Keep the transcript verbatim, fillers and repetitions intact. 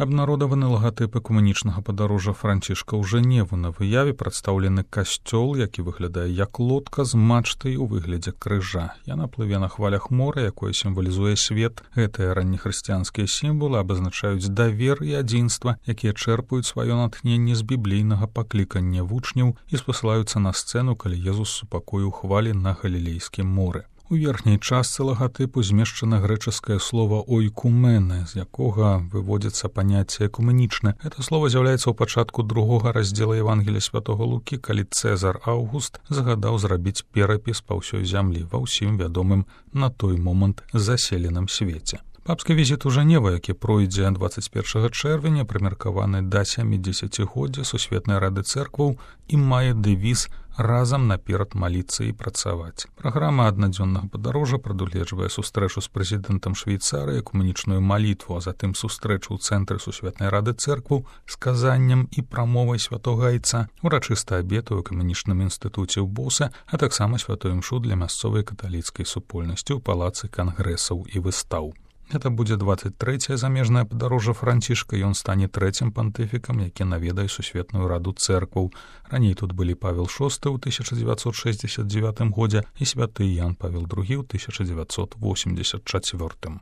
Абнародаваны лагатып экумэнічнага падарожжа Францішка ў Жэневу. На выяве прадстаўлены касцёл, які выглядае як лодка з мачтай у выглядзе крыжа. Яна плыве на хвалях мора, якое сімвалізуе свет. Гэтыя раннехрысціянскія сімвалы абазначаюць давер і адзінства, якія чэрпаюць сваё натхненне з біблейнага паклікання вучняў і спасылаюцца на сцэну, калі Езус супакоіў хвалі на Галілейскім моры. У верхняй частцы лагатыпу змешчана грэчаскае слова «ойкумене», з якога выводзіцца паняцце «экумэнічны». Гэта слова з'яўляецца ў пачатку другога раздзела Евангелія святога Лукі, калі Цэзар Аўгуст загадаў зрабіць перапіс па ўсёй зямлі ва ўсім вядомым на той момант заселеным свеце. Папскі візіт у Жэневу, які пройдзе дваццаць першага чэрвеня, прымеркаваны да сямідзесяцігоддзя Сусветнай рады цэркваў і мае дэвіз «Разам наперад маліцца і працаваць». Праграма аднадзённага падарожжа прадугледжвае сустрэчу з прэзідэнтам Швейцарыі, экумэнічную малітву, а затым сустрэчу ў цэнтры Сусветнай рады цэркваў з казаннем і прамовай святога айца, урачысты абед у экумэнічным інстытуце ў Босе, а таксама святую імшу для мясцовай каталіцкай супольнасці ў палацы кангрэсаў і выстаў. Гэта будзе дваццаць трэцяе замежнае падарожжа Францішка, ён стане трэцім пантыфікам, які наведае Сусветную раду цэркваў. Раней тут былі Павел шосты ў тысяча дзевяцьсот шэсцьдзесят дзевятым годзе і святы Ян Павел другі ў тысяча дзевяцьсот восемьдесят чацвёртым.